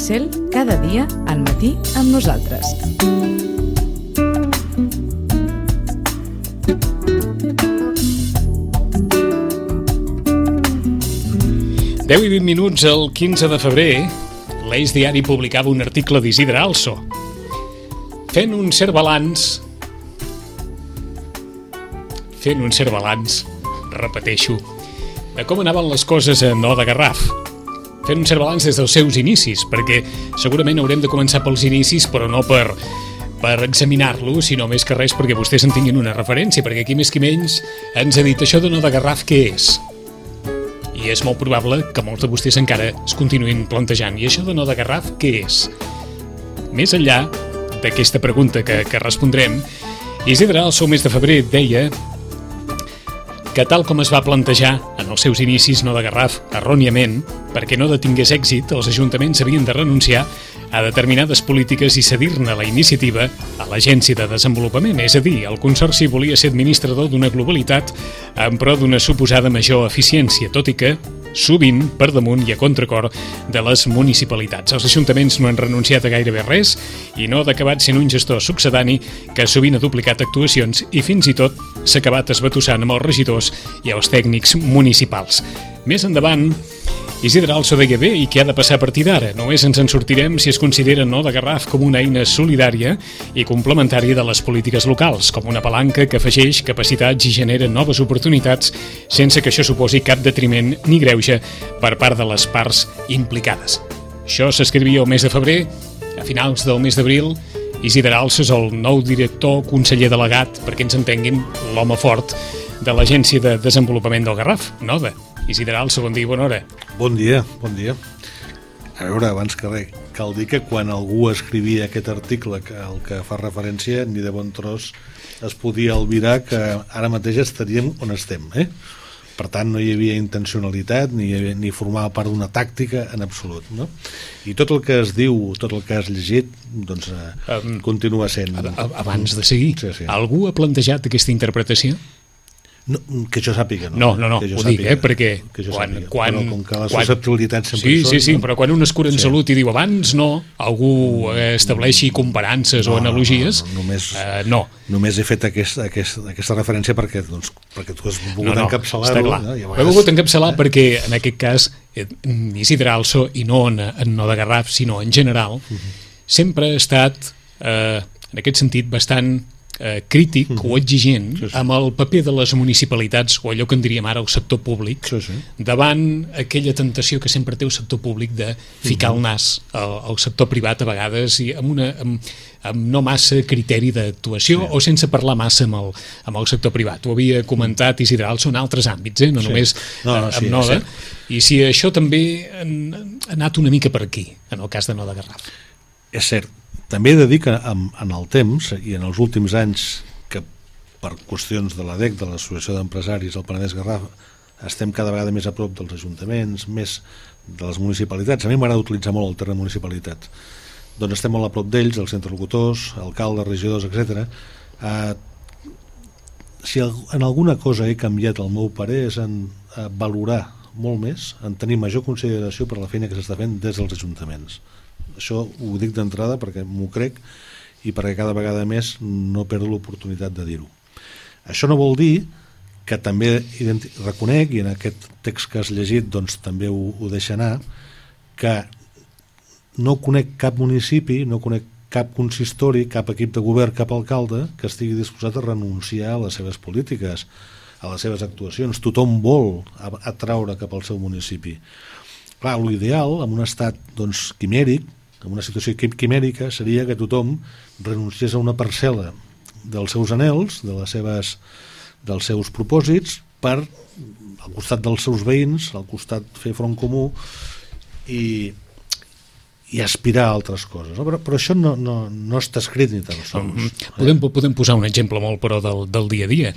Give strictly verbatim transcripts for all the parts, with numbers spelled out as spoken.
Cel, cada dia al matí amb nosaltres. deu i vint minuts el quinze de febrer, l'Eix Diari publicava un article d'Isidre Also, fent un cert balanç, fent un cert balanç, repeteixo, de com anaven les coses a Nó de Garraf. Fent un cert balanç des dels seus inicis, perquè segurament haurem de començar pels inicis, però no per, per examinar-lo, sinó més que res perquè vostès en tinguin una referència, perquè aquí més que menys ens ha dit això de Nó de Garraf què és? I és molt probable que molts de vostès encara es continuïn plantejant. I això de Nó de Garraf, què és? Més enllà d'aquesta pregunta que, que respondrem, Isidre Also, el mes de febrer, deia que tal com es va plantejar en els seus inicis Nó de Garraf, erròniament, perquè no detingués èxit, els ajuntaments havien de renunciar a determinades polítiques i cedir-ne la iniciativa a l'Agència de Desenvolupament, és a dir, el Consorci volia ser administrador d'una globalitat en pro d'una suposada major eficiència, tot i que sovint per damunt i a contracor de les municipalitats. Els ajuntaments no han renunciat a gairebé res i no ha acabat sent un gestor succedani que sovint ha duplicat actuacions i fins i tot s'ha acabat esbatussant amb els regidors i els tècnics municipals. Més endavant, Isidre Also deia bé, i què ha de passar a partir d'ara? Només ens en sortirem si es considera Nó de Garraf com una eina solidària i complementària de les polítiques locals, com una palanca que afegeix capacitats i genera noves oportunitats sense que això suposi cap detriment ni greuge per part de les parts implicades. Això s'escrivia el mes de febrer. A finals del mes d'abril, Isidre Also és el nou director conseller delegat, perquè ens entenguin, l'home fort de l'Agència de Desenvolupament del Garraf, Noda. Isidre Also, bon dia i bona hora. Bon dia, bon dia. A veure, abans que res, cal dir que quan algú escrivia aquest article que el que fa referència, ni de bon tros es podia albirar que ara mateix estaríem on estem, eh? Per tant, no hi havia intencionalitat ni, havia, ni formava part d'una tàctica en absolut, no? I tot el que es diu, tot el que has llegit, doncs eh, um, continua sent... Abans de seguir, sí, sí. Algú ha plantejat aquesta interpretació? No, que jo sàpiga, no. No, no, no, ho dic, eh, perquè quan... quan, quan però com que les quan, susceptibilitats sempre sí, són... Sí, sí, no? però quan un es cura en sí. salut i diu abans no, algú estableixi comparances no, o analogies, no, no, només, eh, no. Només he fet aquest, aquest, aquesta referència perquè, doncs, perquè tu has volgut no, no, encapçalar-ho. No, vegades... He volgut encapçalar sí. perquè, en aquest cas, Isidre Also, i no en, en Nó de Garraf, sinó en general, uh-huh. sempre ha estat, eh, en aquest sentit, bastant... Eh, crític uh-huh. o exigent sí, sí. amb el paper de les municipalitats o allò que en diríem ara el sector públic sí, sí. davant aquella tentació que sempre té el sector públic de ficar uh-huh. el nas al, al sector privat a vegades i amb, una, amb, amb no massa criteri d'actuació sí. o sense parlar massa amb el, amb el sector privat. Ho havia comentat Isidre Also en altres àmbits, eh? no sí. només no, no, amb sí, Noda, i si això també ha anat una mica per aquí en el cas de Nó de Garraf. És cert. També he de dir que en, en el temps i en els últims anys que per qüestions de l'A D E C, de l'Associació d'Empresaris del Penedès Garraf, estem cada vegada més a prop dels ajuntaments, més de les municipalitats. A mi m'agrada utilitzar molt el terme municipalitats. Doncs estem molt a prop d'ells, els interlocutors, alcaldes, regidors, etcètera. Eh, si en alguna cosa he canviat el meu parer és en eh, valorar molt més, en tenir major consideració per la feina que s'està fent des dels ajuntaments. Això ho dic d'entrada perquè m'ho crec i perquè cada vegada més no perdo l'oportunitat de dir-ho. Això no vol dir que també identi- reconec, i en aquest text que has llegit doncs, també ho, ho deixa anar, que no conec cap municipi, no conec cap consistori, cap equip de govern, cap alcalde que estigui disposat a renunciar a les seves polítiques, a les seves actuacions. Tothom vol atraure cap al seu municipi. Clar, l'ideal, en un estat doncs, quimèric, en una situació quimèrica, seria que tothom renunciés a una parcel·la dels seus anhels, de les seves, dels seus propòsits, per al costat dels seus veïns, al costat fer front comú i, i aspirar a altres coses. No? Però, però això no, no, no està escrit ni tan sols. Mm-hmm. Podem, podem posar un exemple molt però del, del dia a dia.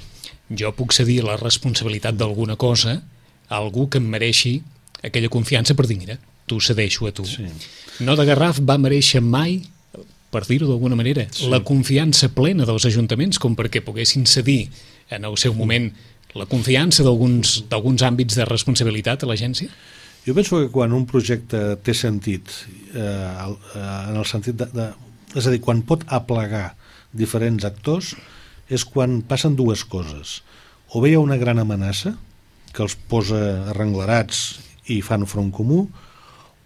Jo puc cedir la responsabilitat d'alguna cosa a algú que em mereixi aquella confiança per dir, mira, t'ho cedeixo a tu. Sí. Nó de Garraf va mereixer mai, per dir-ho d'alguna manera, sí. la confiança plena dels ajuntaments com perquè poguessin cedir en el seu moment la confiança d'alguns d'alguns àmbits de responsabilitat a l'agència? Jo penso que quan un projecte té sentit, eh, en el sentit de, de... És a dir, quan pot aplegar diferents actors, és quan passen dues coses. O bé hi ha una gran amenaça que els posa arrenglerats i fan front comú,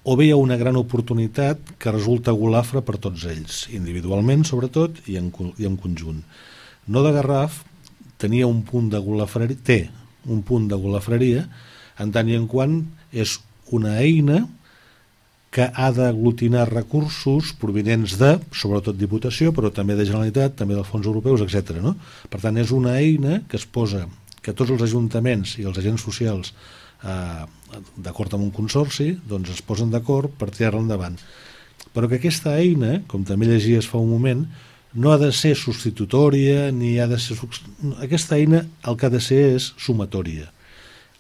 o bé hi ha una gran oportunitat que resulta golafre per tots ells, individualment sobretot i en, i en conjunt. No de Garraf tenia un punt de golafreria, té un punt de golafreria, en tant i en quant és una eina que ha d'aglutinar recursos provinents de, sobretot Diputació, però també de Generalitat, també dels fons europeus, etcètera. No? Per tant, és una eina que es posa, que tots els ajuntaments i els agents socials, eh, d'acord amb un consorci, doncs es posen d'acord per tirar-la endavant. Però que aquesta eina, com també llegies fa un moment, no ha de ser substitutòria, ni ha de ser... Aquesta eina el que ha de ser és sumatòria.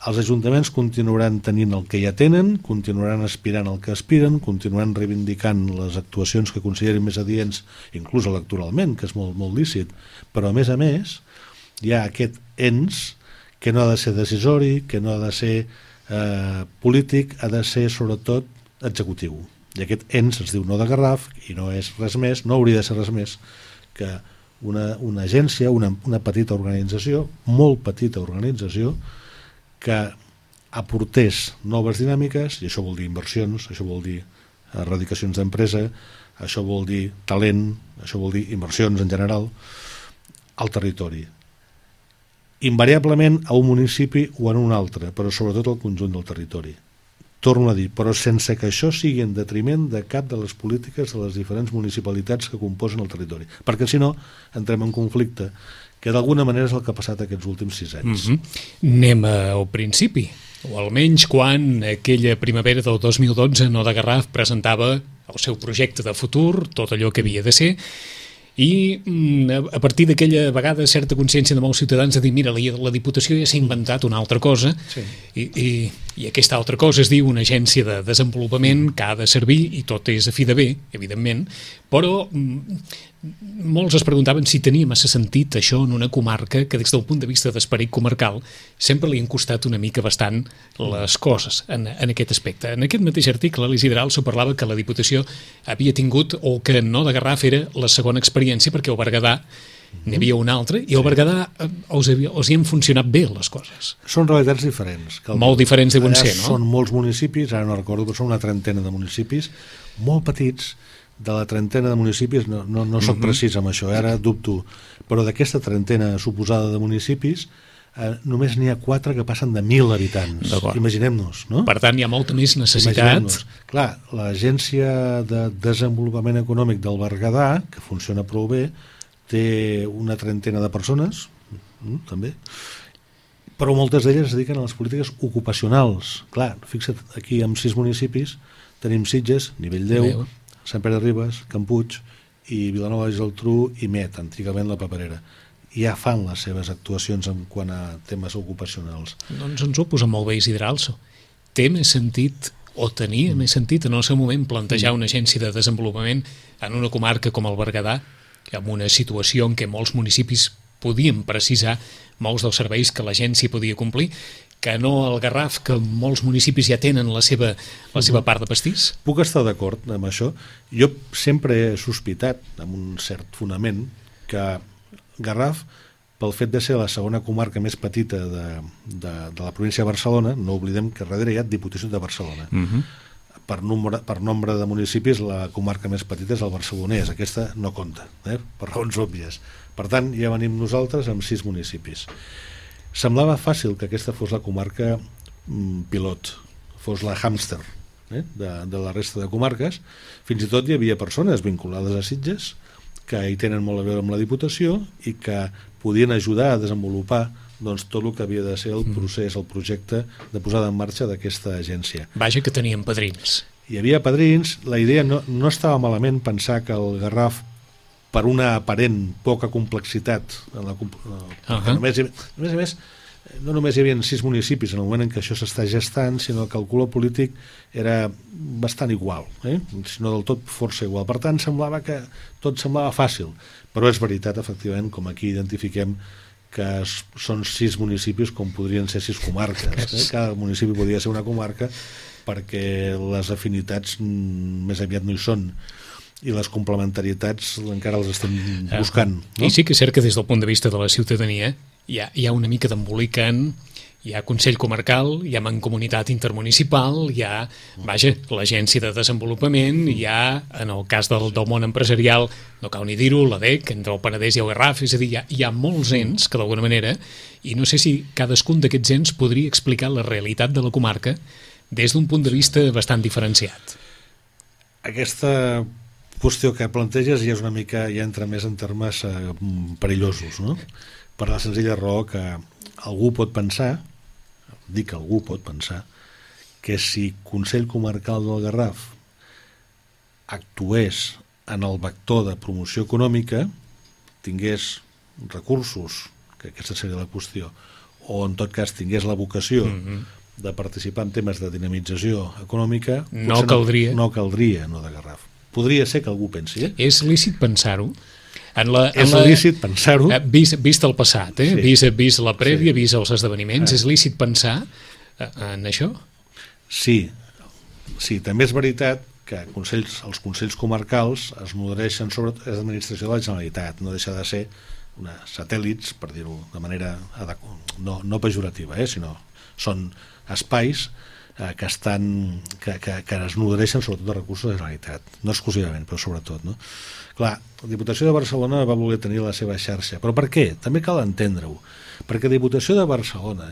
Els ajuntaments continuaran tenint el que ja tenen, continuaran aspirant al que aspiren, continuaran reivindicant les actuacions que considerin més adients, inclús electoralment, que és molt, molt lícit, però a més a més hi ha aquest ens que no ha de ser decisori, que no ha de ser eh, polític, ha de ser sobretot executiu. I aquest ens es diu No de Garraf i no és res més, no hauria de ser res més que una, una agència, una, una petita organització, molt petita organització, que aportés noves dinàmiques, i això vol dir inversions, això vol dir erradicacions d'empresa, això vol dir talent, això vol dir inversions en general, al territori. Invariablement a un municipi o en un altre, però sobretot al conjunt del territori. Torno a dir, però sense que això sigui en detriment de cap de les polítiques de les diferents municipalitats que composen el territori. Perquè si no, entrem en conflicte, que d'alguna manera és el que ha passat aquests últims sis anys. Mm-hmm. Anem al principi, o almenys quan aquella primavera del dos mil dotze No de Garraf presentava el seu projecte de futur, tot allò que havia de ser, i a partir d'aquella vegada certa consciència de molts ciutadans de dir, mira, la, la Diputació ja s'ha inventat una altra cosa, sí. i, i, i aquesta altra cosa es diu una agència de desenvolupament que ha de servir, i tot és a fi de bé, evidentment, però molts es preguntaven si tenia massa sentit això en una comarca que des del punt de vista d'esperit comarcal sempre li han costat una mica bastant les coses en, en aquest aspecte. En aquest mateix article l'Isidre Also parlava que la Diputació havia tingut, o que No de Garraf era la segona experiència, perquè al Berguedà n'hi havia una altra, i al Berguedà us, havia, us hi han funcionat bé les coses. Són realitats diferents. Que el, molt diferents deuen ser, no? Són molts municipis, ara no recordo, però són una trentena de municipis, molt petits. De la trentena de municipis, no, no, no soc precís amb això, ara dubto, però d'aquesta trentena suposada de municipis, eh, només n'hi ha quatre que passen de mil habitants. Imaginem-nos, no? Per tant, hi ha molta més necessitat. Clar, l'Agència de Desenvolupament Econòmic del Berguedà, que funciona prou bé, té una trentena de persones, mm, també, però moltes d'elles es dediquen a les polítiques ocupacionals. Clar, fixa't, aquí amb sis municipis tenim Sitges, Nivell deu, Meu. Sant Pere de Ribes, Can Puig i Vilanova i Geltrú i Met, antigament la Paperera. Ja fan les seves actuacions en quant a temes ocupacionals. Doncs ens ho posa molt bé Isidre Also. Té més sentit, o tenia mm. més sentit en el seu moment, plantejar mm. una agència de desenvolupament en una comarca com el Berguedà, amb una situació en què molts municipis podien precisar molts dels serveis que l'agència podia complir, que no el Garraf, que molts municipis ja tenen la seva, la seva part de pastís? Puc estar d'acord amb això. Jo sempre he sospitat, amb un cert fonament, que Garraf, pel fet de ser la segona comarca més petita de, de, de la província de Barcelona, no oblidem que darrere hi ha Diputació de Barcelona. Uh-huh. Per, nombre, per nombre de municipis, la comarca més petita és el barcelonès. Aquesta no compta, eh? Per raons òbvies. Per tant, ja venim nosaltres amb sis municipis. Semblava fàcil que aquesta fos la comarca mm, pilot, fos la hàmster eh, de, de la resta de comarques. Fins i tot hi havia persones vinculades a Sitges que hi tenen molt a veure amb la Diputació i que podien ajudar a desenvolupar doncs, tot el que havia de ser el procés, el projecte de posada en marxa d'aquesta agència. Vaja que tenien padrins. Hi havia padrins, la idea no, no estava malament pensar que el Garraf, per una aparent poca complexitat, en la, uh-huh. només, a més a més, no només hi havia sis municipis en el moment en què això s'està gestant, sinó que el color polític era bastant igual, eh? Si no del tot força igual. Per tant, semblava que tot semblava fàcil, però és veritat, efectivament, com aquí identifiquem que són sis municipis com podrien ser sis comarques. Eh? Cada municipi podria ser una comarca, perquè les afinitats més aviat no hi són i les complementarietats encara les estem buscant, no? I sí que és cert que des del punt de vista de la ciutadania hi ha, hi ha una mica d'embolican, hi ha Consell Comarcal, hi ha Mancomunitat Intermunicipal, hi ha, vaja, l'Agència de Desenvolupament, hi ha, en el cas del, del món empresarial, no cal ni dir-ho, l'A D E C, entre el Penedès i el Garraf, és a dir, hi ha, hi ha molts ens que d'alguna manera, i no sé si cadascun d'aquests ens podria explicar la realitat de la comarca des d'un punt de vista bastant diferenciat. Aquesta qüestió que planteges ja és una mica, ja entra més en termes eh, perillosos, no? Per la senzilla raó que algú pot pensar, dic que algú pot pensar, que si Consell Comarcal del Garraf actués en el vector de promoció econòmica, tingués recursos, que aquesta seria la qüestió, o en tot cas tingués la vocació mm-hmm. de participar en temes de dinamització econòmica, no caldria. No, no caldria no de Garraf. Podria ser que algú pensi, eh? És lícit pensar-ho? En la, és en la, lícit pensar-ho. Vist, vist el passat, eh? Sí. vist, vist la prèvia, sí. vist els esdeveniments, ah. és lícit pensar en això? Sí, sí, també és veritat que consells, els consells comarcals es nodreixen sobre l'administració de la Generalitat, no deixa de ser una satèl·lits, per dir-ho de manera no, no pejorativa, eh? Sinó són espais eh, que estan que, que, que es nodreixen sobretot de recursos de la Generalitat, no exclusivament, però sobretot, no? Clar, la Diputació de Barcelona va voler tenir la seva xarxa, però per què? També cal entendre-ho, perquè la Diputació de Barcelona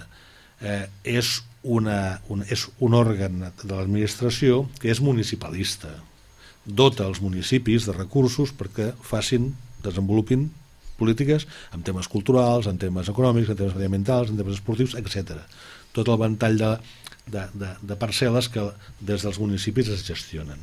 eh, és, una, un, és un òrgan de l'administració que és municipalista, dota els municipis de recursos perquè facin, desenvolupin polítiques en temes culturals, en temes econòmics, en temes mediambientals, en temes esportius, etcètera. Tot el ventall de, de, de, de parcel·les que des dels municipis es gestionen.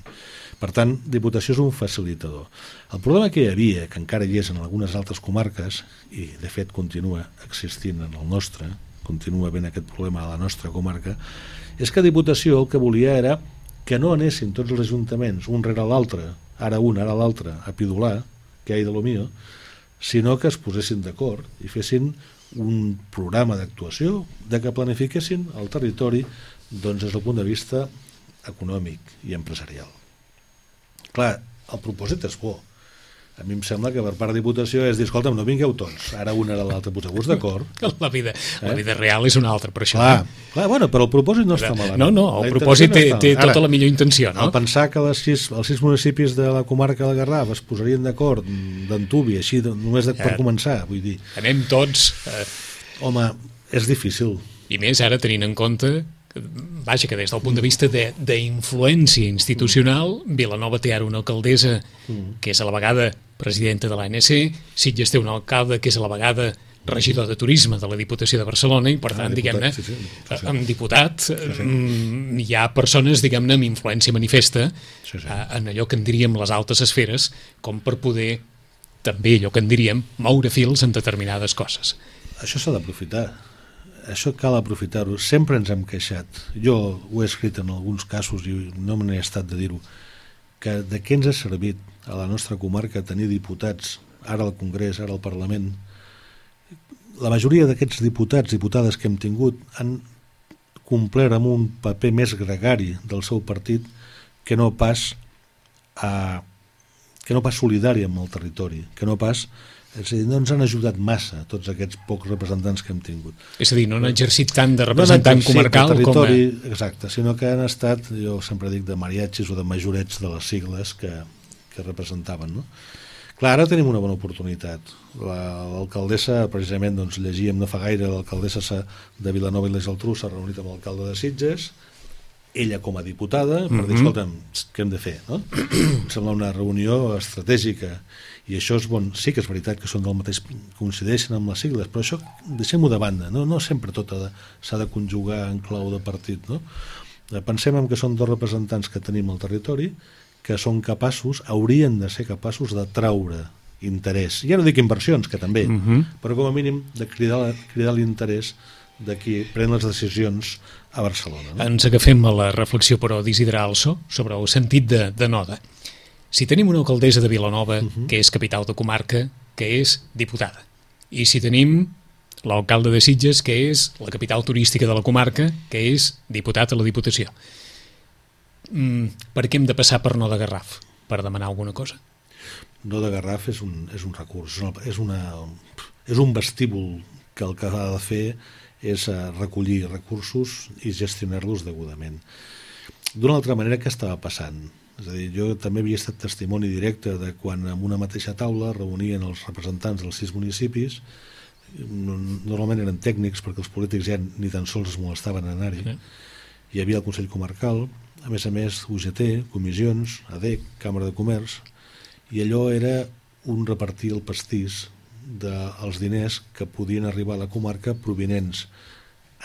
Per tant, Diputació és un facilitador. El problema que hi havia, que encara hi és en algunes altres comarques, i de fet continua existint en el nostre, continua havent aquest problema a la nostra comarca, és que Diputació el que volia era que no anessin tots els ajuntaments, un rere l'altre, ara un, ara l'altre, a pidolar, que hi ha de lo mío, sinó que es posessin d'acord i fessin un programa d'actuació de que planifiquessin el territori doncs, des del punt de vista econòmic i empresarial. Clar, el propòsit és bo. A mi em sembla que per part de Diputació és dir, escolta'm, no vingueu tots, ara un ara l'altre, poseu-vos d'acord. La vida, eh? la vida real és una altra, per això. Clar, clar, bueno, però el propòsit no està malament. No, no, el propòsit té, té tota ara, la millor intenció, no? Al pensar que les sis, els sis municipis de la comarca del Garraf es posarien d'acord d'antubi, així, només de, per començar, vull dir... Anem tots... Eh... Home, és difícil. I més ara tenint en compte... Vaja, que des del punt de vista d'influència institucional, Vilanova té ara una alcaldessa que és a la vegada presidenta de l'A N C, Sitges té un alcalde que és a la vegada regidor de turisme de la Diputació de Barcelona i per tant, ah, diguem-ne, sí, sí, sí, sí. amb diputat sí, sí. hi ha persones, diguem-ne, amb influència manifesta sí, sí. en allò que en diríem les altes esferes, com per poder també allò que en diríem moure fils en determinades coses. Això s'ha d'aprofitar. Això cal aprofitar-ho. Sempre ens hem queixat. Jo ho he escrit en alguns casos i no me n'he estat de dir-ho, que de què ens ha servit a la nostra comarca tenir diputats, ara al Congrés, ara al Parlament. La majoria d'aquests diputats, diputades que hem tingut han complert amb un paper més gregari del seu partit que no pas a, que no pas solidari amb el territori, que no pas... És a dir, no ens han ajudat massa tots aquests pocs representants que hem tingut. És a dir, no han exercit tant de representant no comarcal com a... Exacte, sinó que han estat, jo sempre dic, de mariachis o de majorets de les sigles que, que representaven, no? Clar, ara tenim una bona oportunitat. L'alcaldessa, precisament, doncs, llegíem no fa gaire, l'alcaldessa de Vilanova i la Geltrú s'ha reunit amb l'alcalde de Sitges, ella com a diputada, per dir, escolta'm, què hem de fer, no? Em sembla una reunió estratègica i això és bon, sí que és veritat que són del mateix, coincideixen amb les sigles, però això deixem-ho de banda, no, no sempre tot s'ha de conjugar en clau de partit, no? Pensem en que són dos representants que tenim al territori que són capaços, haurien de ser capaços de traure interès, ja no dic inversions, que també, uh-huh. però com a mínim de cridar, cridar l'interès de qui pren les decisions a Barcelona. No? Ens agafem a la reflexió, però, d'Isidre Also sobre el sentit de, de Noda. Si tenim una alcaldessa de Vilanova, uh-huh. que és capital de comarca, que és diputada, i si tenim l'alcalde de Sitges, que és la capital turística de la comarca, que és diputat a la Diputació, mm, per què hem de passar per No de Garraf? Per demanar alguna cosa? No de Garraf és un, és un recurs, és, una, és un vestíbul que el que ha de fer és recollir recursos i gestionar-los degudament. D'una altra manera, què estava passant? És a dir, jo també havia estat testimoni directe de quan en una mateixa taula reunien els representants dels sis municipis, normalment eren tècnics perquè els polítics ja ni tan sols es molestaven a anar-hi. Sí. Hi havia el Consell Comarcal, a més a més U G T, comissions, A D E C, Càmera de Comerç, i allò era un repartir el pastís dels diners que podien arribar a la comarca provinents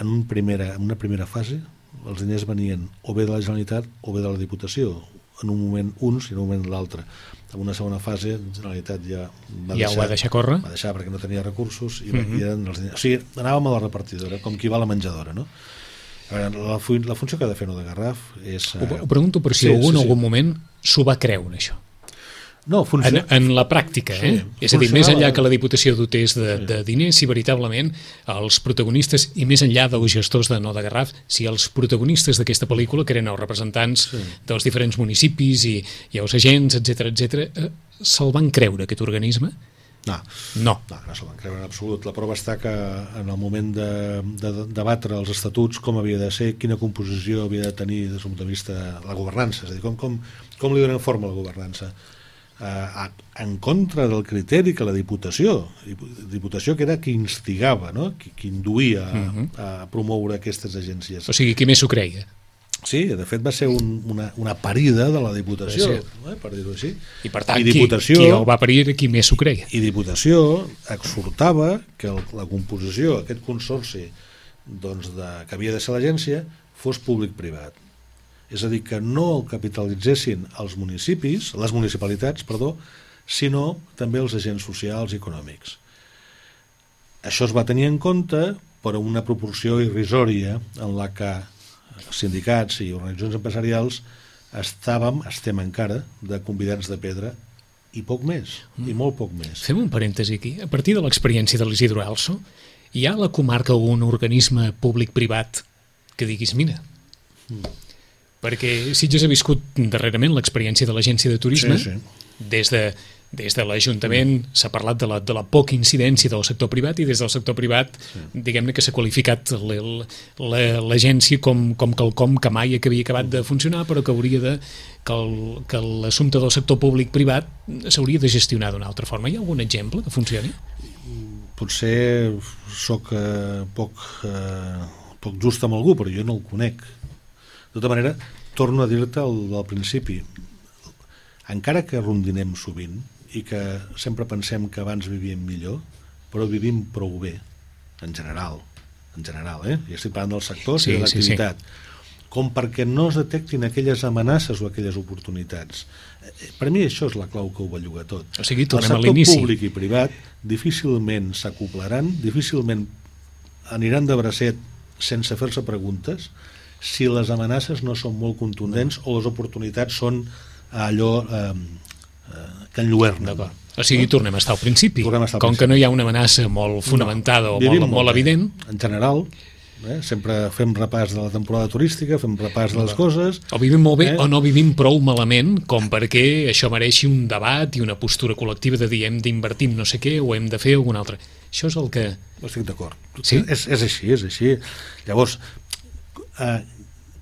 en, un primera, en una primera fase. Els diners venien o bé de la Generalitat o bé de la Diputació, en un moment uns i en un moment l'altre. En una segona fase la Generalitat ja va, ja deixar, ho va deixar córrer, va deixar perquè no tenia recursos i, uh-huh. i eren els diners. O sigui, anàvem a la repartidora, com qui va a la menjadora, no? A veure, la, la funció que ha de fer No de Garraf és... Ho, ho pregunto per si sí, algú en sí, algun sí. moment s'ho va creure, això. No, funciona... en, en la pràctica, eh? Sí, és a dir, més enllà que la Diputació dotés de, de diners, si veritablement els protagonistes, i més enllà dels gestors de No de Garraf, si els protagonistes d'aquesta pel·lícula, que eren els representants sí. dels diferents municipis i, i els agents, etcètera, etcètera, eh, se'l van creure, aquest organisme? No, no, no, no se'l van creure en absolut. La prova està que en el moment de, de, de debatre els estatuts, com havia de ser, quina composició havia de tenir des del punt de vista de la governança, és a dir, com, com, com li donen forma a la governança. Uh, en contra del criteri que la Diputació, Diputació que era qui instigava, no? qui, qui induïa a, uh-huh. a promoure aquestes agències. O sigui, qui més s'ho creia? Sí, de fet va ser un, una, una parida de la Diputació, eh, per dir-ho així. I per tant, I Diputació, qui, qui el va parir era qui més s'ho creia. I Diputació exhortava que el, la composició, aquest consorci doncs, de, que havia de ser l'agència, fos públic-privat. És a dir, que no el capitalitzessin els municipis, les municipalitats, perdó, sinó també els agents socials i econòmics. Això es va tenir en compte per una proporció irrisòria en la que sindicats i organitzacions empresarials estàvem, estem encara, de convidats de pedra i poc més, mm. i molt poc més. Fem un parèntesi aquí. A partir de l'experiència de l'Isidro Also, hi ha a la comarca un organisme públic-privat que diguis, mira... Mm. Perquè Sitges ha viscut darrerament l'experiència de l'agència de turisme, sí, sí. des de, des de l'Ajuntament mm. s'ha parlat de la, de la poca incidència del sector privat i des del sector privat, sí. diguem-ne que s'ha qualificat l'agència com, com quelcom que mai que havia acabat de funcionar, però que hauria de que l'assumpte del sector públic-privat s'hauria de gestionar d'una altra forma. Hi ha algun exemple que funcioni? Potser soc eh, poc, eh, poc just amb algú, però jo no el conec. De tota manera, torno a dir-te al, al principi, encara que rondinem sovint i que sempre pensem que abans vivíem millor, però vivim prou bé, en general, en general, eh? Ja estic parlant dels sectors sí, i de l'activitat, sí, sí. com perquè no es detectin aquelles amenaces o aquelles oportunitats. Per mi això és la clau que ho belluga tot. O sigui, el sector públic i privat difícilment s'acoplaran, difícilment aniran de bracet sense fer-se preguntes, si les amenaces no són molt contundents o les oportunitats són allò eh, eh, que enlluernen. O sigui, no? tornem a estar al principi. Estar al Com principi. que no hi ha una amenaça molt fonamentada no. o molt, molt, molt evident. En general, eh, sempre fem repàs de la temporada turística, fem repàs de les coses. O vivim molt bé eh? o no vivim prou malament com perquè això mereixi un debat i una postura col·lectiva de dir hem d'invertir no sé què o hem de fer alguna altra. Això és el que... Estic d'acord. Sí? És, és així, és així. Llavors... Uh,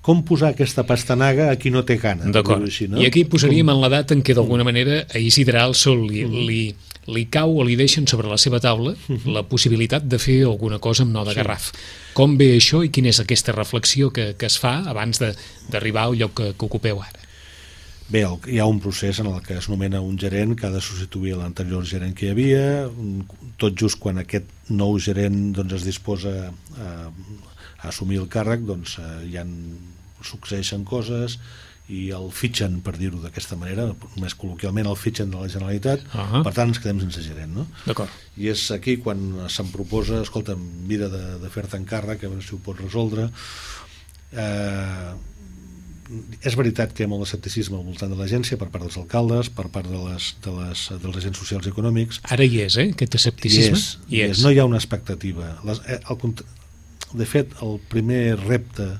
com posar aquesta pastanaga a qui no té gana. D'acord, així, no? I aquí posaríem com... en la data en què d'alguna manera a Isidre Also li, mm. li, li cau o li deixen sobre la seva taula mm-hmm. la possibilitat de fer alguna cosa amb No de sí. Garraf. Com ve això i quina és aquesta reflexió que, que es fa abans d'arribar al lloc que, que ocupeu ara? Bé, el, hi ha un procés en el que es nomena un gerent que ha de substituir l'anterior gerent que hi havia, tot just quan aquest nou gerent doncs, es disposa a, a assumir el càrrec, doncs eh, hi ha succeeixen coses i el fitxen, per dir-ho d'aquesta manera, més col·loquialment el fitxen de la Generalitat, uh-huh. per tant ens quedem sense gerent, no? D'acord. I és aquí quan se'm proposa, escolta, mira de, de fer-te encàrrec, a veure si ho pots resoldre. Eh, és veritat que hi ha molt d'escepticisme al voltant de l'agència per part dels alcaldes, per part de les, de les, dels agents socials i econòmics. Ara hi és, eh, aquest escepticisme? Hi és, hi és. No hi ha una expectativa. Les, eh, el, de fet, el primer repte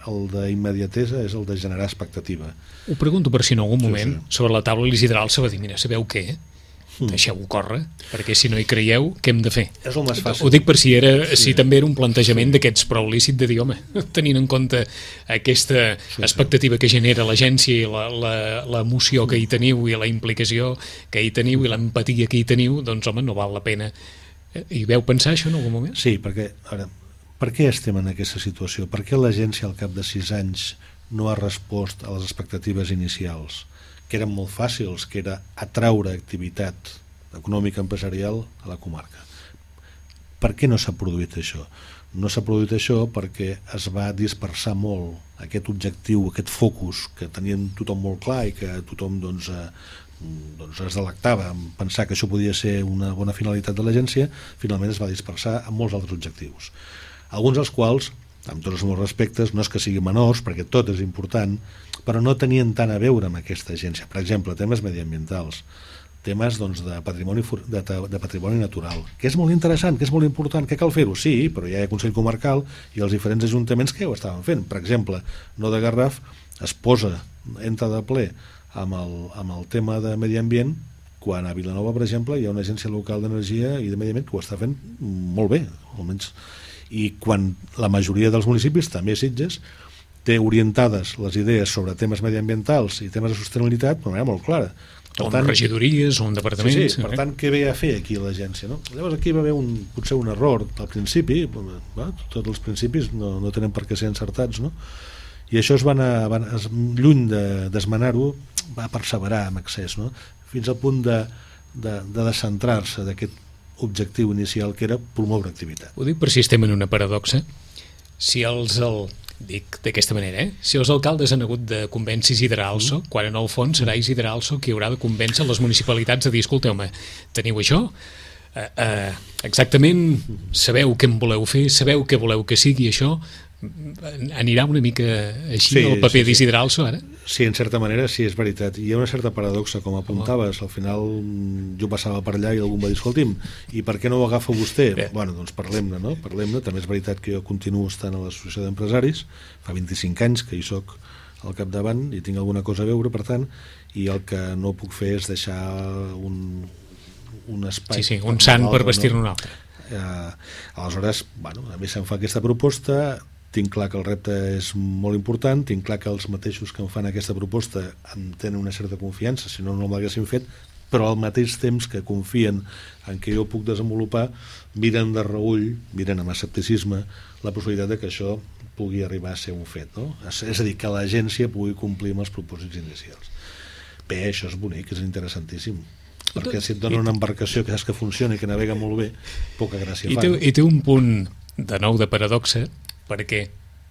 el d'immediatesa és el de generar expectativa. Ho pregunto per si en algun moment sí, sí. sobre la taula Isidral se va dir, mira, sabeu què? Mm. Deixeu-ho córrer, perquè si no hi creieu, què hem de fer? És el més fàcil. Ho dic per si, era, sí. si també era un plantejament sí. d'aquests prou lícit de dir, home, tenint en compte aquesta sí, expectativa sí. que genera l'agència i l'emoció que hi teniu i la implicació que hi teniu i l'empatia que hi teniu, doncs home, no val la pena. I veu pensar això en algun moment? Sí, perquè, ara, per què estem en aquesta situació? Per què l'agència al cap de sis anys no ha respost a les expectatives inicials, que eren molt fàcils, que era atraure activitat econòmica empresarial a la comarca? Per què no s'ha produït això? No s'ha produït això perquè es va dispersar molt aquest objectiu, aquest focus que tenien tothom molt clar i que tothom doncs, eh, doncs es delectava en pensar que això podia ser una bona finalitat de l'agència. Finalment es va dispersar en molts altres objectius, alguns dels quals, amb tots els meus respectes, no és que siguin menors, perquè tot és important, però no tenien tant a veure amb aquesta agència. Per exemple, temes mediambientals, temes doncs, de, patrimoni, de, de patrimoni natural, que és molt interessant, que és molt important, que cal fer-ho, sí, però ja hi ha Consell Comarcal i els diferents ajuntaments que ja ho estaven fent. Per exemple, No de Garraf es posa, entra de ple amb el, amb el tema de medi ambient, quan a Vilanova, per exemple, hi ha una agència local d'energia i de medi ambient que ho està fent molt bé, almenys. I quan la majoria dels municipis, també Sitges, té orientades les idees sobre temes mediambientals i temes de sostenibilitat d'una manera molt clara. Per o tant, regidories, o un departament. Sí, sí, per tant, què ve a fer aquí l'agència? No? Llavors aquí va haver un, potser un error al principi, va, tots els principis no, no tenen per què ser encertats, no? I això es van, a, van es, lluny d'esmenar-ho, de, va perseverar amb excés, no? Fins al punt de, de, de descentrar-se d'aquest objectiu inicial que era promoure activitat. Ho dic per si estem en una paradoxa. Si els... El... dic d'aquesta manera, eh? Si els alcaldes han hagut de convèncer Isidre Also, mm. quan en el fons serà Isidre Also qui haurà de convèncer les municipalitats a dir, escolteu-me, teniu això? Uh, uh, exactament sabeu què en voleu fer, sabeu què voleu que sigui això? Anirà una mica així sí, el paper sí, sí. d'Isidre Also ara? Sí, en certa manera sí, és veritat. Hi ha una certa paradoxa, com apuntaves. Al final jo passava per allà i algú em va dir, escolti'm, i per què no ho agafa vostè? Bé. Bueno, doncs parlem-ne, no? Parlem-ne. També és veritat que jo continuo estant a l'associació d'empresaris, fa vint-i-cinc anys que hi soc al capdavant i tinc alguna cosa a veure, per tant, i el que no puc fer és deixar un, un espai... Sí, sí, un sant per vestir-ne un altre. Eh, aleshores, bueno, a mi se'm fa aquesta proposta, tinc clar que el repte és molt important, tinc clar que els mateixos que em fan aquesta proposta em tenen una certa confiança, si no, no m'haguessin fet, però al mateix temps que confien en què jo puc desenvolupar, miren de reüll, miren amb escepticisme la possibilitat de que això pugui arribar a ser un fet, no? És a dir, que l'agència pugui complir amb els propòsits inicials. Bé, això és bonic, és interessantíssim, perquè si et dona una embarcació que saps que funciona i que navega molt bé, poca gràcia I fa. Té, I té un punt de nou de paradoxa, perquè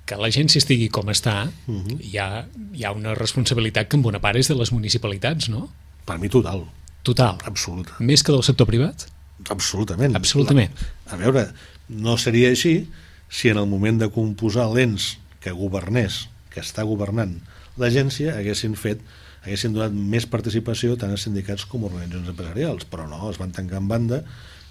que l'agència estigui com està, uh-huh. hi, ha, hi ha una responsabilitat que en bona part és de les municipalitats, no? Per mi total. Total? Absoluta. Més que del sector privat? Absolutament. Absolutament. La, a veure, no seria així si en el moment de composar l'ens que governés, que està governant l'agència, haguessin fet haguessin donat més participació tant a sindicats com a organitzacions empresarials, però no, es van tancar en banda,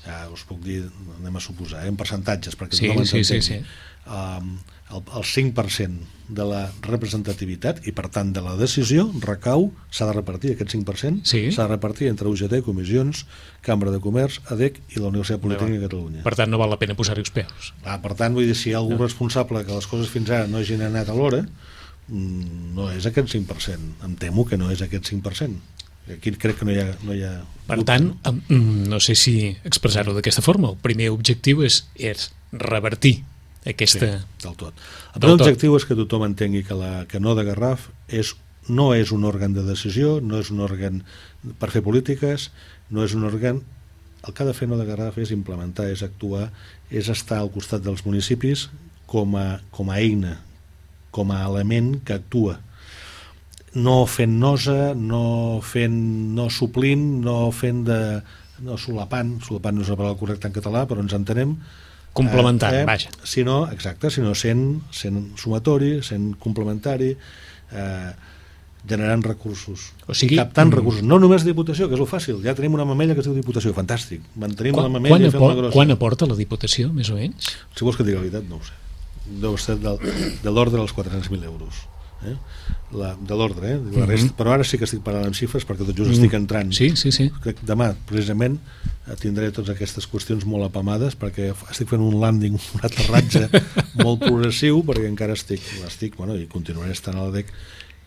ja us puc dir, anem a suposar, eh, en percentatges, perquè sí, tothom sí, ens entengui. Sí, sí. Um, el, el cinc per cent de la representativitat i per tant de la decisió recau, s'ha de repartir aquest cinc per cent, sí. s'ha de repartir entre U G T, comissions, Cambra de Comerç, A D E C i la Universitat Politècnica de Catalunya. Per tant no val la pena posar-hi els peus. Ah, per tant, vull dir, si hi ha algú no. responsable que les coses fins ara no hagin anat a l'hora, no és aquest cinc per cent, em temo que no és aquest cinc per cent. Aquí crec que no hi ha, no hi ha per dubte, tant, no? no sé si expressar-ho d'aquesta forma, el primer objectiu és, és revertir aquesta... Sí, del tot. El primer objectiu és que tothom entengui que, la, que No de Garraf és, no és un òrgan de decisió, no és un òrgan per fer polítiques, no és un òrgan... El que ha de fer No de Garraf és implementar, és actuar, és estar al costat dels municipis com a, com a eina, com a element que actua, no fent nosa, no fent, no suplint, no fent de, no solapant, solapant no és la paraula correcta en català, però ens entenem, complementant, eh, eh, vaja. Sinó, exacte, sinó sent, sent sumatori, sent complementari, eh, generant recursos, o sigui, captant mm, recursos, no només Diputació, que és el fàcil, ja tenim una mamella que es diu Diputació, fantàstic, mantenim quan, la mamella i fem-la grossa. Quan aporta la Diputació, més o menys? Si vols que digui la veritat, no ho sé. deu ser de, de l'ordre dels quatre-cents mil euros. Eh? La, de l'ordre, eh? La resta, mm-hmm. Però ara sí que estic parlant amb xifres perquè tot just mm. estic entrant. Sí, sí, sí. Demà, precisament, tindré totes aquestes qüestions molt apamades perquè estic fent un landing, un aterratge molt progressiu perquè encara estic, estic bueno, i continuaré estant a la D E C,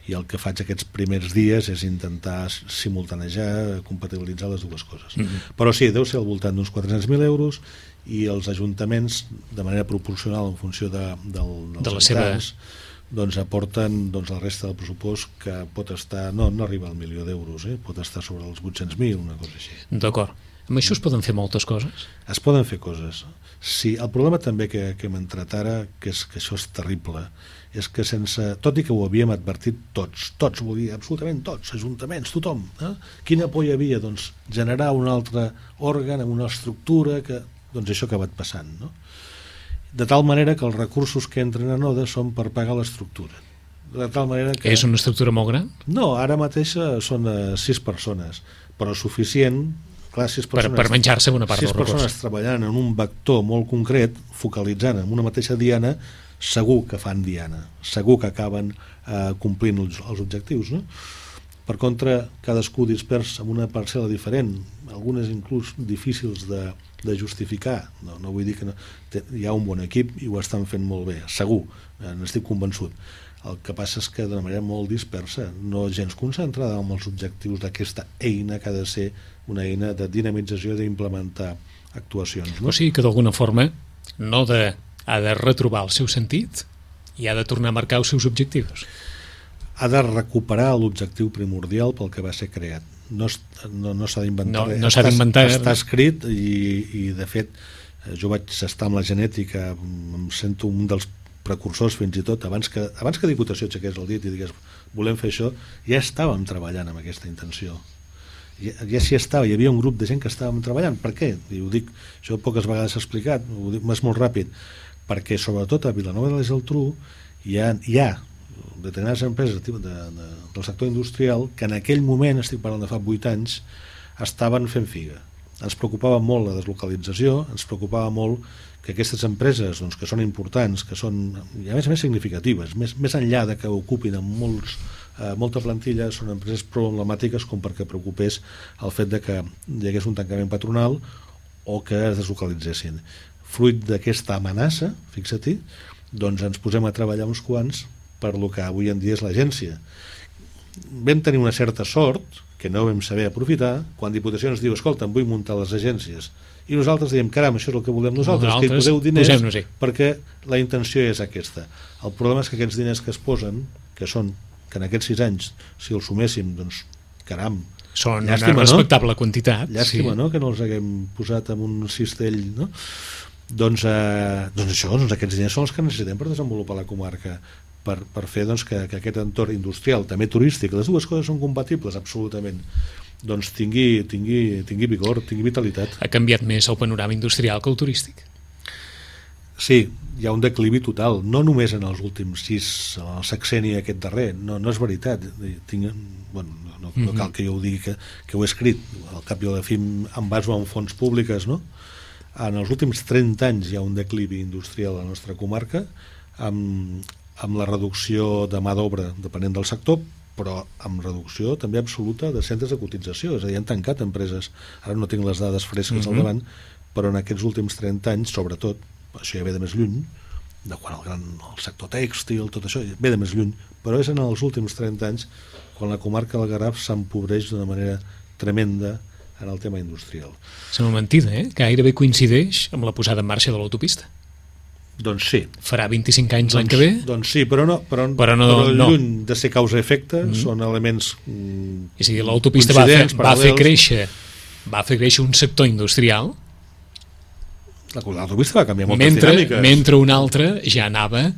i el que faig aquests primers dies és intentar simultanejar, compatibilitzar les dues coses. Mm-hmm. Però sí, deu ser al voltant d'uns quatre-cents mil euros i els ajuntaments, de manera proporcional en funció de, del, dels de habitants, seva... doncs aporten doncs, la resta del pressupost que pot estar, no, no arriba al milió d'euros, eh? Pot estar sobre els vuit-cents mil, una cosa així. D'acord. Amb això es poden fer moltes coses? Es poden fer coses. Sí, el problema també que, que hem entrat ara, que és que això és terrible, és que sense, tot i que ho havíem advertit tots, tots, vull dir, absolutament tots, ajuntaments, tothom, eh? Quina por hi havia? Doncs generar un altre òrgan amb una estructura que, doncs això ha acabat passant, no? De tal manera que els recursos que entren a Node són per pagar l'estructura. De tal manera que... És una estructura molt gran? No, ara mateix són uh, sis persones, però suficient, clar, sis persones... Per, per menjar-se una part del recurs. Sis persones treballant en un vector molt concret, focalitzant en una mateixa diana, segur que fan diana, segur que acaben uh, complint els, els objectius, no? Per contra, cadascú dispers amb una parcel·la diferent, algunes inclús difícils de, de justificar. No, no vull dir que no, té, hi ha un bon equip i ho estan fent molt bé, segur, eh, n'estic convençut. El que passa és que d'una manera molt dispersa, no gens concentrada en els objectius d'aquesta eina que ha de ser una eina de dinamització i d'implementar actuacions. No? O sigui que d'alguna forma no de, ha de retrobar el seu sentit i ha de tornar a marcar els seus objectius. Ha de recuperar l'objectiu primordial pel que va ser creat. No, no, no s'ha d'inventar no, no s'ha d'inventar està, està escrit i, i de fet jo vaig estar amb la genètica, em sento un dels precursors fins i tot, abans que, abans que Diputació aixequés el dit i digués volem fer això, ja estàvem treballant amb aquesta intenció. Ja, ja s'hi estava, hi havia un grup de gent que estàvem treballant. Per què? I ho dic, això poques vegades s'ha explicat, ho dic més molt ràpid, perquè sobretot a Vilanova de la Geltrú hi ha, hi ha determinades empreses de, de, de, del sector industrial que en aquell moment, estic parlant de fa vuit anys, estaven fent figa. Ens preocupava molt la deslocalització, ens preocupava molt que aquestes empreses doncs, que són importants, que són i a més a més significatives, més, més enllà de que ocupin amb molts, eh, molta plantilla, són empreses problemàtiques com perquè preocupés el fet de que hi hagués un tancament patronal o que es deslocalitzessin. Fruit d'aquesta amenaça, fixa-t'hi, doncs ens posem a treballar uns quants per lo que avui en dia és l'agència. Vam tenir una certa sort, que no vam saber aprofitar, quan Diputació ens diu, escolta, em vull muntar les agències. I nosaltres diem, caram, això és el que volem nosaltres, nosaltres que hi poseu diners, perquè la intenció és aquesta. El problema és que aquests diners que es posen, que són, que en aquests sis anys, si els suméssim, doncs, caram, són llàstima, una respectable no? quantitat. Llàstima, sí. No?, que no els haguem posat en un cistell, no? Doncs, eh, doncs això, doncs aquests diners són els que necessitem per desenvolupar la comarca, per, per fer doncs, que, que aquest entorn industrial, també turístic, les dues coses són compatibles absolutament, doncs tingui, tingui, tingui vigor, tingui vitalitat. Ha canviat més el panorama industrial que el turístic? Sí, hi ha un declivi total, no només en els últims sis, el sexeni aquest darrer, no, no és veritat. Tinc, bueno, no, no cal que jo ho digui que, que ho he escrit, al cap i a la fi em baso en fonts públiques, no? En els últims trenta anys hi ha un declivi industrial a la nostra comarca, amb, amb la reducció de mà d'obra depenent del sector, però amb reducció també absoluta de centres de cotització, és a dir, han tancat empreses, ara no tinc les dades fresques mm-hmm. al davant, però en aquests últims trenta anys, sobretot, això ja ve de més lluny, de quan el, gran, el sector tèxtil, tot això, ve de més lluny, però és en els últims trenta anys quan la comarca del Garraf s'empobreix d'una manera tremenda en el tema industrial. Sembla mentida, eh? Que gairebé coincideix amb la posada en marxa de l'autopista. Doncs sí. Farà vint-i-cinc anys doncs, l'any que ve? Doncs sí, però no, però, però no, però no. lluny de ser causa-efecte, mm. són elements mm, és a dir, l'autopista va, fer, va fer créixer va fer créixer un sector industrial. L'autopista va canviar moltes mentre, dinàmiques. Mentre un altre ja anava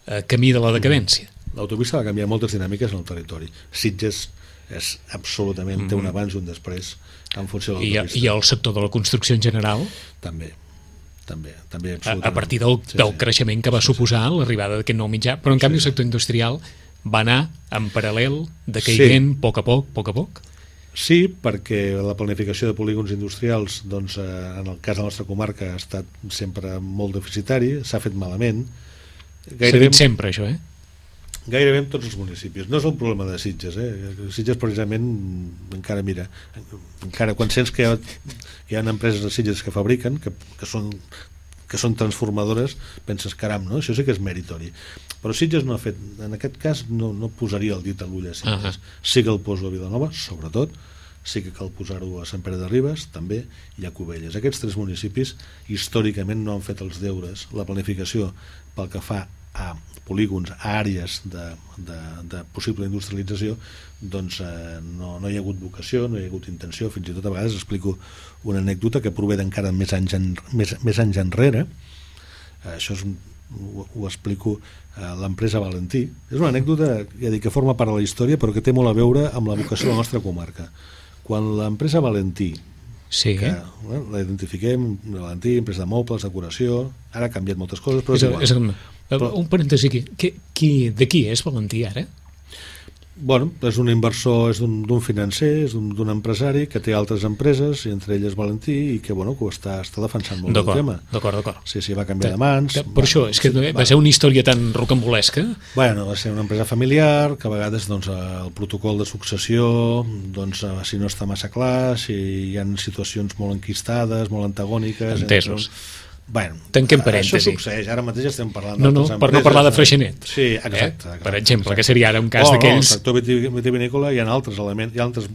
a camí de la decadència. L'autopista va canviar moltes dinàmiques en el territori. Sitges és absolutament, mm. té un abans i un després en funció de l'autopista. I, I el sector de la construcció en general? També. També, també a, a partir del, sí, del sí. creixement que va sí, suposar sí. l'arribada d'aquest nou mitjà, però en canvi sí. el sector industrial va anar en paral·lel, decaient sí. a poc a poc, a poc a poc. Sí, perquè la planificació de polígons industrials, doncs, eh, en el cas de la nostra comarca, ha estat sempre molt deficitari, s'ha fet malament, S'ha dit sempre, això, eh? Gairebé en tots els municipis. No és el problema de Sitges, eh? Sitges precisament encara, mira, encara quan sents que hi ha, que hi ha empreses de Sitges que fabriquen, que, que són que són transformadores, penses, caram, no? Això sí que és meritori. Però Sitges no ha fet, en aquest cas no, no posaria el dit a l'ull a Sitges. Uh-huh. Sí que el poso a Vilanova, sobretot, sí que cal posar-ho a Sant Pere de Ribes, també, i a Cubelles. Aquests tres municipis històricament no han fet els deures, la planificació pel que fa a polígons, a àrees de, de, de possible industrialització, doncs eh, no, no hi ha hagut vocació, no hi ha hagut intenció. Fins i tot a vegades explico una anècdota que prové d'encara més anys, en, més, més anys enrere. Eh, això és, ho, ho explico a l'empresa Valentí. És una anècdota, ja dic, que forma part de la història, però que té molt a veure amb la vocació de la nostra comarca. Quan l'empresa Valentí, sí, que bueno, la identifiquem, Valentí, empresa de mobles, decoració, ara ha canviat moltes coses, però és, és igual. És un, però, un parèntesi aquí, qui, qui, de qui és Valentí ara? Bueno, és un inversor, és d'un financer, és d'un empresari que té altres empreses, i entre elles Valentí, i que, bueno, que ho està, està defensant molt el tema. D'acord, d'acord. Sí, sí, va canviar de mans. Per va, això, és que va, va ser una història tan rocambolesca. Bueno, va ser una empresa familiar, que a vegades doncs, el protocol de successió, doncs, si no està massa clar, si hi ha situacions molt enquistades, molt antagòniques... Entesos. Entre... Bueno, tanquem parèntesi. Això succeeix, ara mateix estem parlant no, no, d'altres per empreses. No parlar de Freixenet. Sí, exacte. Eh? exacte per exemple, exacte. Que seria ara un cas oh, d'aquells... No, el sector vitivinícola hi ha altres elements, hi ha altres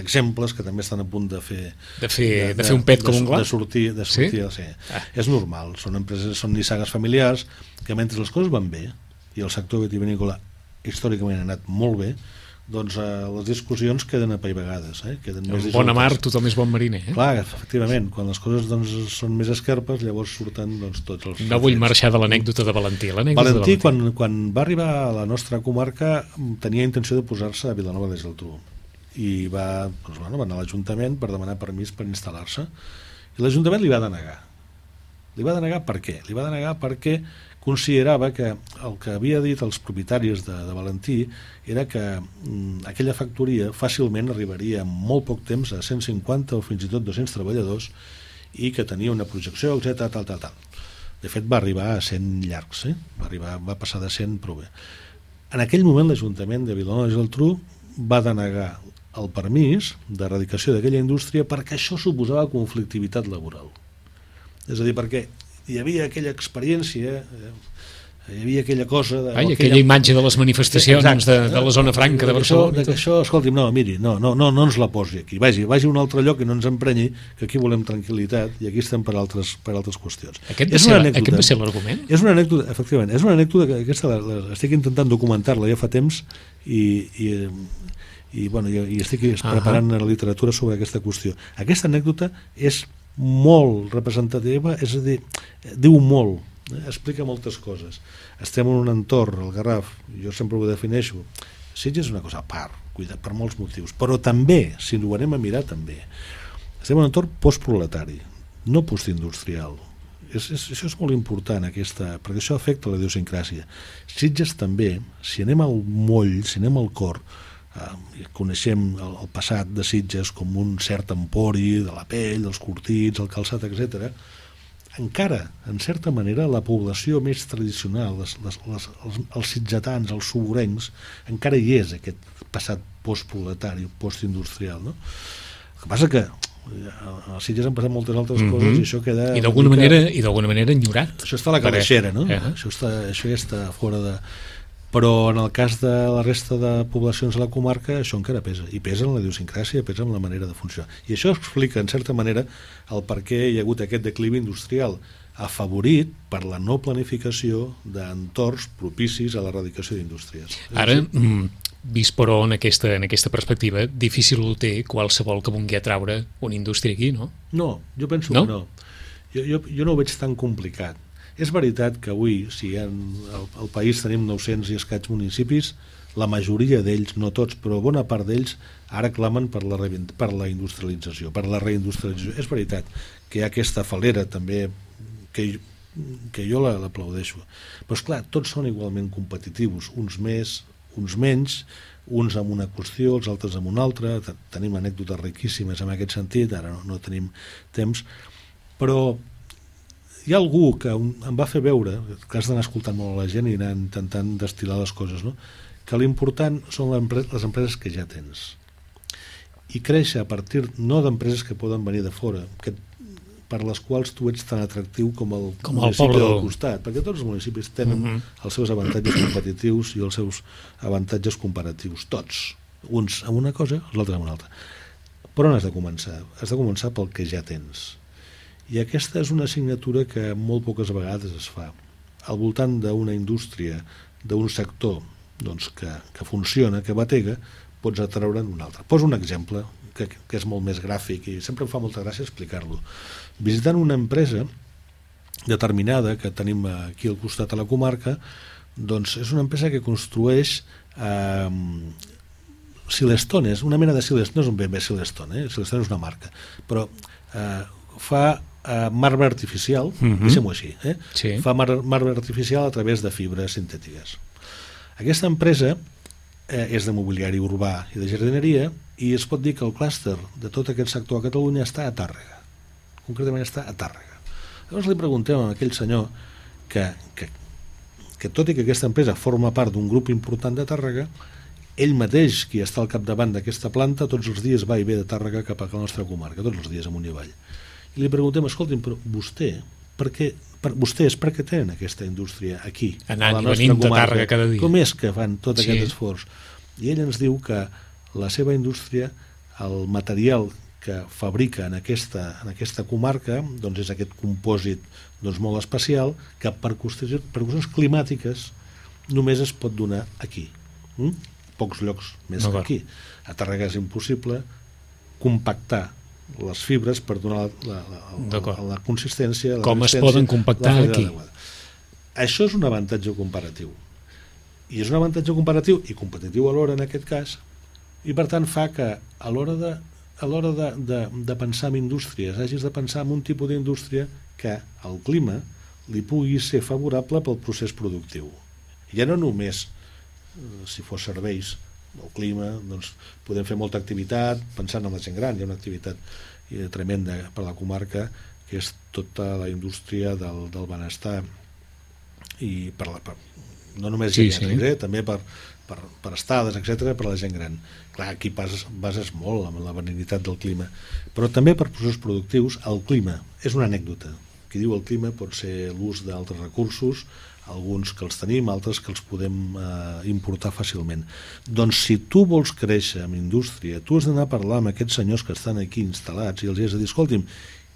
exemples que també estan a punt de fer... De fer, de, de, de fer un pet com un gla? De sortir, de sortir, sí? sí. Ah. És normal, són empreses, són nissagues familiars, que mentre les coses van bé, i el sector vitivinícola històricament ha anat molt bé, doncs eh, les discussions queden apaivagades. Eh? Queden més en bona mar tothom és bon mariner. Eh? Clar, efectivament, quan les coses doncs, són més esquerpes, llavors surten doncs, tots els... No vull marxar de l'anècdota de Valentí. Valentí, de Valentí. Quan, quan va arribar a la nostra comarca, tenia intenció de posar-se a Vilanova de Geltrú. I va, doncs, bueno, va anar a l'Ajuntament per demanar permís per instal·lar-se. I l'Ajuntament li va denegar. Li va denegar per què? Li va denegar perquè considerava que el que havia dit els propietaris de, de Valentí era que mm, aquella factoria fàcilment arribaria en molt poc temps a cent cinquanta o fins i tot dos-cents treballadors i que tenia una projecció, etcètera, tal, tal, tal. De fet, va arribar a cent llargs, eh? va, arribar, va passar de cent prou bé. En aquell moment, l'Ajuntament de Vilanova i Geltrú va denegar el permís d'erradicació d'aquella indústria perquè això suposava conflictivitat laboral. És a dir, perquè hi havia aquella experiència, eh, hi havia aquella cosa... De, Ai, aquella, aquella imatge de les manifestacions exacte, de, de la zona franca de Barcelona. De que això, escolti'm, no, miri, no, no, no, no ens la posi aquí, vagi, vagi a un altre lloc i no ens emprenyi, que aquí volem tranquil·litat i aquí estem per altres, per altres qüestions. Aquest va, ser, aquest va ser l'argument? És una anècdota, efectivament, és una anècdota que aquesta la, la, estic intentant documentar-la ja fa temps i... i i, bueno, i, i estic preparant uh -huh. la literatura sobre aquesta qüestió. Aquesta anècdota és molt representativa, és a dir, diu molt, eh? Explica moltes coses. Estem en un entorn, el Garraf, jo sempre ho defineixo, Sitges és una cosa a part, cuida, per molts motius, però també, si ho anem a mirar també, estem en un entorn postproletari, no postindustrial. És, és, això és molt important, aquesta, perquè això afecta la idiosincràsia. Sitges també, si anem al moll, si anem al cor, Uh, coneixem el, el passat de Sitges com un cert empori de la pell, dels curtits, el calçat, etcètera. Encara, en certa manera, la població més tradicional, les, les, les, els, els sitgetans, els suburencs, encara hi és aquest passat postproletari, postindustrial, no? El que passa que a Sitges han passat moltes altres mm-hmm. coses i això queda... I d'alguna mica... manera, i d'alguna manera enyorat. Això està a la calaixera, no? Uh-huh. Això, està, això ja està fora de... Però en el cas de la resta de poblacions de la comarca això encara pesa, i pesa en la idiosincràsia, pesa en la manera de funcionar, i això explica en certa manera el per què hi ha hagut aquest declivi industrial afavorit per la no planificació d'entorns propicis a l'erradicació d'indústries. Ara, mm, vist però en aquesta, en aquesta perspectiva, difícil ho té qualsevol que vulgui atraure una indústria aquí, no? No, jo penso no? que no. Jo, jo, jo no ho veig tan complicat. És veritat que avui, si en el, el país tenim nou-cents i escaig municipis, la majoria d'ells, no tots, però bona part d'ells, ara clamen per la, per la industrialització, per la reindustrialització. És veritat que hi ha aquesta falera també, que, que jo l'aplaudeixo. Però esclar, tots són igualment competitius, uns més, uns menys, uns amb una qüestió, els altres amb una altra. Tenim anècdotes riquíssimes en aquest sentit, ara no, no tenim temps, però hi ha algú que em va fer veure, que has d'anar escoltant molt a la gent i anar intentant destil·lar les coses, no? Que l'important són les empreses que ja tens. I créixer a partir no d'empreses que poden venir de fora, que, per les quals tu ets tan atractiu com el com municipi el del costat, perquè tots els municipis tenen uh-huh. els seus avantatges competitius i els seus avantatges comparatius, tots. Uns amb una cosa, els altres amb una altra. Per on has de començar? Has de començar pel que ja tens. I aquesta és una assignatura que molt poques vegades es fa. Al voltant d'una indústria, d'un sector doncs, que, que funciona, que batega, pots atraure'n un altre. Poso un exemple que, que és molt més gràfic i sempre em fa molta gràcia explicar-lo. Visitant una empresa determinada que tenim aquí al costat a la comarca, doncs és una empresa que construeix eh, Silestone, una mena de Silestone, no és un ben bé Silestone, eh? Silestone és una marca, però eh, fa Uh, marbre artificial, uh-huh. deixem-ho així, eh? Sí. Fa mar marbre artificial a través de fibres sintètiques. Aquesta empresa eh, és de mobiliari urbà i de jardineria i es pot dir que el clúster de tot aquest sector a Catalunya està a Tàrrega. Concretament està a Tàrrega. Llavors li preguntem a aquell senyor que, que, que tot i que aquesta empresa forma part d'un grup important de Tàrrega, ell mateix, qui està al capdavant d'aquesta planta, tots els dies va i ve de Tàrrega cap a la nostra comarca, tots els dies amunt i avall. I li preguntem, escolti'm, però vostè, per què, per, vostès per què tenen aquesta indústria aquí, anant a la i nostra venint comarca? De Tàrrega cada dia. Com és que fan tot sí. aquest esforç? I ell ens diu que la seva indústria, el material que fabrica en aquesta, en aquesta comarca, doncs és aquest compòsit doncs, molt especial, que per qüestions, per qüestions climàtiques només es pot donar aquí. Mm? Pocs llocs més no, que aquí. A Tàrrega és impossible compactar les fibres per donar la, la, la, la consistència, la com es poden compactar aquí. Això és un avantatge comparatiu i és un avantatge comparatiu i competitiu alhora en aquest cas, i per tant fa que a l'hora de, a l'hora de, de, de pensar en indústries hagis de pensar en un tipus d'indústria que el clima li pugui ser favorable pel procés productiu. Ja no només si fos serveis, el clima, doncs podem fer molta activitat, pensant en la gent gran, hi ha una activitat eh, tremenda per la comarca, que és tota la indústria del, del benestar, i per la, per, no només sí, gent, sí. eh, també per, per, per estades, etcètera, per a la gent gran. Clar, aquí bases, bases molt amb la benignitat del clima, però també per processos productius. El clima és una anècdota. Qui diu el clima pot ser l'ús d'altres recursos, alguns que els tenim, altres que els podem eh, importar fàcilment. Doncs si tu vols créixer en indústria, tu has d'anar a parlar amb aquests senyors que estan aquí instal·lats i els has de dir, escolti'm,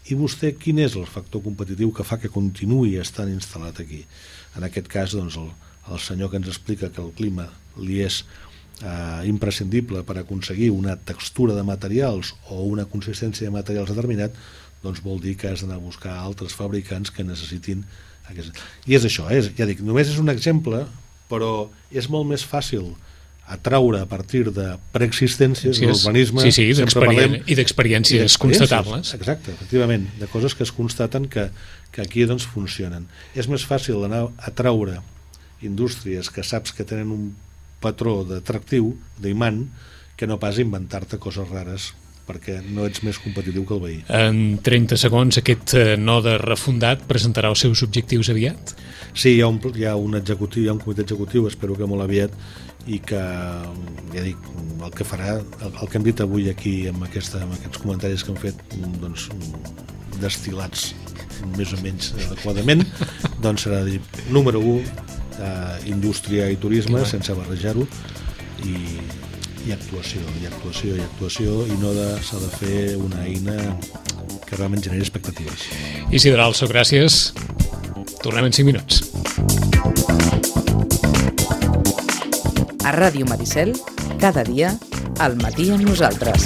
i vostè quin és el factor competitiu que fa que continuï estant instal·lat aquí? En aquest cas, doncs, el, el senyor que ens explica que el clima li és eh, imprescindible per aconseguir una textura de materials o una consistència de materials determinat, doncs vol dir que has d'anar a buscar altres fabricants que necessitin. I és això, eh? Ja dic, només és un exemple, però és molt més fàcil atraure a partir de preexistències, sí, l'urbanisme, sí, sí, i d'experiències constatables. Exacte, efectivament, de coses que es constaten que, que aquí doncs funcionen. És més fàcil anar a atraure indústries que saps que tenen un patró d'atractiu, d'imant, que no pas inventar-te coses rares perquè no ets més competitiu que el veí. En trenta segons, aquest node refundat presentarà els seus objectius aviat? Sí, hi ha un, hi ha un executiu, hi ha un comitè executiu, espero que molt aviat, i que, ja dic, el que farà, el, el que hem dit avui aquí amb, aquesta, amb aquests comentaris que hem fet, doncs, destil·lats més o menys adequadament, doncs serà dir, número u, eh, indústria i turisme, sense barrejar-ho, i i actuació, i actuació, i actuació, i no s'ha de fer una eina que realment generi expectatives. Isidre Also, gràcies. Tornem en cinc minuts. A Ràdio Maricel, cada dia, al matí amb nosaltres.